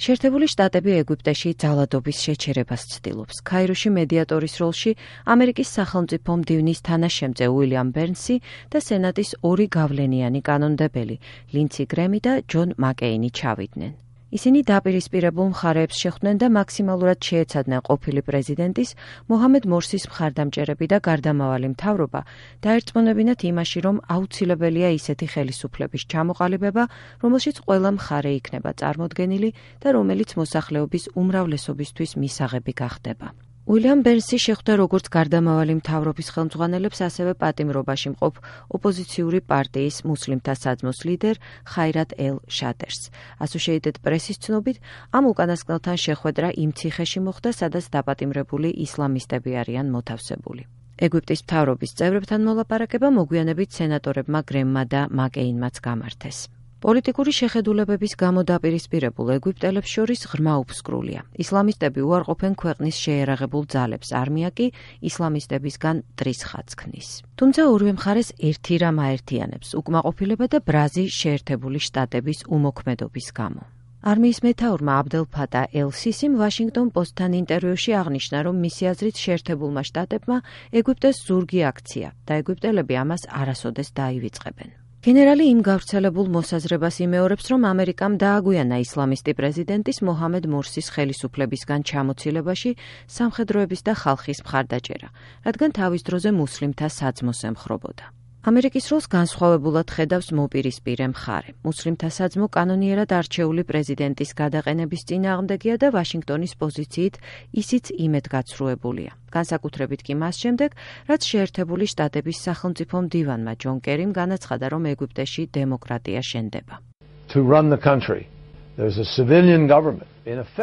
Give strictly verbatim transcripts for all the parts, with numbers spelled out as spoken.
შეერთებული შტატები ეგვიპტეში ძალადობის შეჩერებას ცდილობს. ქაიროში მედიატორის როლში ამერიკის სახელმწიფო მდივნის თანაშემწე უილიამ ბერნსი და სენატის ორი გავლენიანი კანონმდებელი, ლინცი გრემი და ჯონ მაკეინი ჩავიდნენ. ისინი დაპირისპირებულ მხარეებს შეხვდნენ და მაქსიმალურად შეეცადნენ ყოფილი პრეზიდენტის მოჰამედ მორსის მხარდამჭერები და გარდამავალი მთავრობა დაერწმუნებინათ იმაში, რომ აუცილებელია ისეთი ხელისუფლების ჩამოყალიბება, რომელშიც ყველა მხარე იქნება წარმოდგენილი და რომელიც მოსახლეობის უმრავლესობისთვის მისაღები გახდება. უილიამ ბერნსი შეხვდა როგორც გარდამავალი მთავრობის ხელმძღვანელებს, ასევე პატიმრობაში მყოფ ოპოზიციური პარტიის მუსლიმთა საძმოს ლიდერ ხაირატ ელ შადერს. Associated Press-ის ცნობით, ამ უკანასკნელთან შეხვედრა იმ ციხეში მოხდა, სადაც დაპატიმრებული ისლამისტები არიან მოთავსებული. ეგვიპტის მთავრობის წევრებთან მოლაპარაკება მოგვიანებით სენატორებმა გრემმა და მაკეინმაც გამართეს. პოლიტიკური შეხედულებების გამო დაპირისპირებულ ეგვიპტელებს შორის ღრმა უფსკრულია. ისლამისტები უარყოფენ ქვეყნის შეერაღებულ ძალებს, არმია კი ისლამისტებისგან მტრის ხაზს ქმნის. თუმცა ორივე მხარეს ერთი რამ აერთიანებს: უკმაყოფილება და ბრაზი შეერთებული შტატების უმოქმედობის გამო. არმიის მეთაურმა აბდელ ფატა ელ სისიმ ვაშინგტონ პოსტთან ინტერვიუში აღნიშნა, რომ მისი აზრით შეერთებულმა შტატებმა ეგვიპტეს ზურგი აქცია და ეგვიპტელები ამას არასოდეს დაივიწყებენ. გენერალი იმ გავრცელებულ მოსაზრებას იმეორებს, რომ ამერიკამ დააგვიანა ისლამისტი პრეზიდენტის მოჰამედ მორსის ხელისუფლებისგან ჩამოცილებაში სამხედროების და ხალხის მხარდაჭერა, რადგან თავის დროზე მუსლიმთა საძმოს ემხრობოდა. ამერიკის როლს განსხვავებულად ხედავს მოპირისპირე მხარე. მუსლიმთა საძმო კანონიერად არჩეული პრეზიდენტის გადაყენების წინააღმდეგია და ვაშინგტონის პოზიციით ისიც იმედგაცრუებულია. განსაკუთრებით კი მას შემდეგ, რაც შეერთებული შტატების სახელმწიფო მდივანმა ჯონ კერიმ განაცხადა, რომ ეგვიპტეში დემოკრატია შენდება.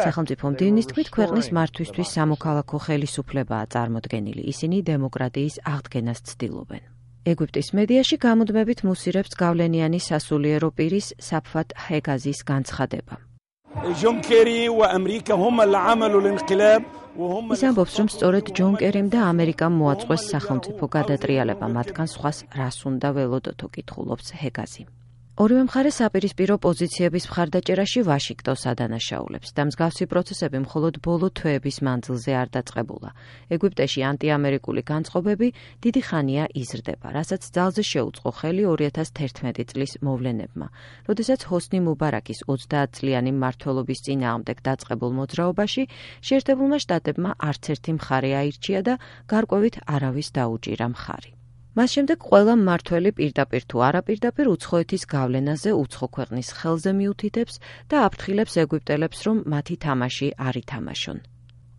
სახელმწიფო მდივნის თქმით, ქვეყნის მართვისთვის სამოქალაქო ხელისუფლებაა წარმოდგენილი. ისინი დემოკრატიის აღდგენას ცდილობენ. ეგვიპტის მედიაში გამუდმებით მუსირებს გავლენიანი სასულიერო პირის საფათ ჰეგაზის განცხადება. ის ამბობს, რომ სწორედ ჯონ კერიმ და ამერიკამ მოაწყვეს სახელმწიფო გადატრიალება, მათგან სხვას რას უნდა ველოდოთ, კითხულობს ჰეგაზი. ორივე მხარე საპირისპირო პოზიციების მხარდაჭერაში ვაშინგტონს ადანაშაულებს და მსგავსი პროცესები მხოლოდ ბოლო თვეების მანძილზე არ დაწყებულა. ეგვიპტეში ანტიამერიკული განწყობები დიდი ხანია იზრდება, რასაც ძალზე შეუწყო ხელი ორი ათას თერთმეტი წლის მოვლენებმა, როდესაც ჰოსნი მუბარაკის ოცდაათწლიანი მმართველობის წინააღმდეგ დაწყებულ მოძრაობაში შეერთებულმა შტატებმა არც ერთი მხარე აირჩია და გარკვევით არავის დაუჭირა მხარი. მას შემდეგ ყველა მმართველი პირდაპირ თუ არაპირდაპირ უცხოეთის გავლენაზე უცხო ქვეყნის ხელზე მიუთითებს და აფრთხილებს ეგვიპტელებს, რომ მათი თამაში არ ითამაშონ.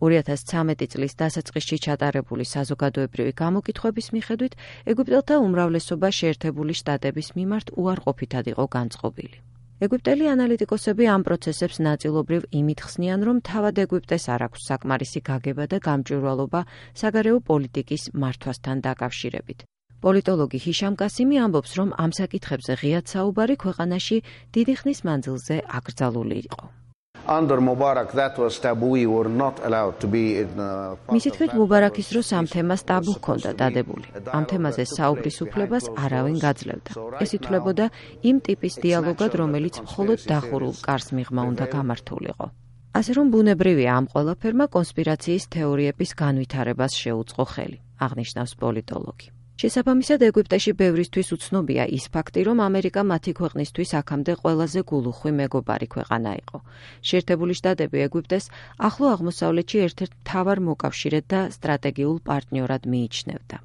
ორი ათას ცხრამეტი წლის დასაწყისში ჩატარებული საზოგადოებრივი გამოკითხვების მიხედვით, ეგვიპტელთა უმრავლესობა შეერთებული შტატების მიმართ უარყოფითად იყო განწყობილი. ეგვიპტელი ანალიტიკოსები ამ პროცესებს ნაწილობრივ იმით ხსნიან, რომ თავად ეგვიპტეს არ აქვს საკმარისი გაგება და გამჭვირვალობა საგარეო პოლიტიკის მართვასთან დაკავშირებით. პოლიტოლოგი ჰიშამ კასიმი ამბობს, რომ ამ საკითხებზე ღიად საუბარი ქვეყანაში დიდი ხნის მანძილზე აკრძალული იყო. მისი თქმით, მუბარაკის დროს ამ თემას ტაბუ ჰქონდა დადებული. ამ თემაზე საუბრის უფლებას არავინ გაძლევდა. ეს ითვლებოდა იმ ტიპის დიალოგად, რომელიც მხოლოდ დახურულ კარს მიღმა უნდა გამართულიყო. ასე რომ ბუნებრივია ამ ყველაფერმა კონსპირაციის თეორიების განვითარებას შეუწყო ხელი, აღნიშნავს პოლიტოლოგი. შესაბამისად, ეგვიპტეში ბევრისთვის უცნობია ის ფაქტი, რომ ამერიკა მათი ქვეყნისთვის აქამდე ყველაზე გულუხვი მეგობარი ქვეყანა იყო. შეერთებული შტატები ეგვიპტეს ახლო აღმოსავლეთში ერთ-ერთ მთავარ მოკავშირედ და სტრატეგიულ პარტნიორად მიიჩნევდა.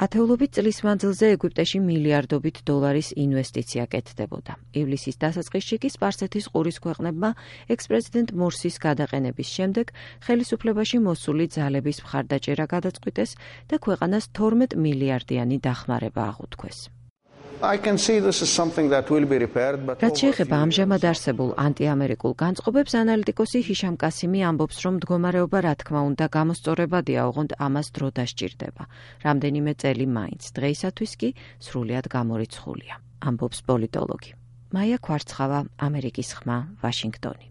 ათეულობით წლის მანძილზე ეგვიპტეში მილიარდობით დოლარის ინვესტიცია კეთდებოდა. ივლისის დასაწყისში კი სპარსეთის ყურის ქვეყნებმა ექს-პრეზიდენტ მორსის გადაყენების შემდეგ ხელისუფლებაში მოსული ძალების მხარდაჭერა გადაწყვიტეს და ქვეყანას თორმეტ მილიარდიანი დახმარება აღუთქვეს. რაც შეეხება ამჟამად არსებულ ანტიამერიკულ განწყობებს, ანალიტიკოსი ჰიშამ კასიმი ამბობს, რომ მდგომარეობა რა თქმა უნდა გამოსწორებადია, ოღონდ ამას დრო დასჭირდება. რამდენიმე წელი მაინც, დღეისათვის კი სრულიად გამორიცხულია, ამბობს პოლიტოლოგი. მაია ქვარცხავა, ამერიკის ხმა, ვაშინგტონი.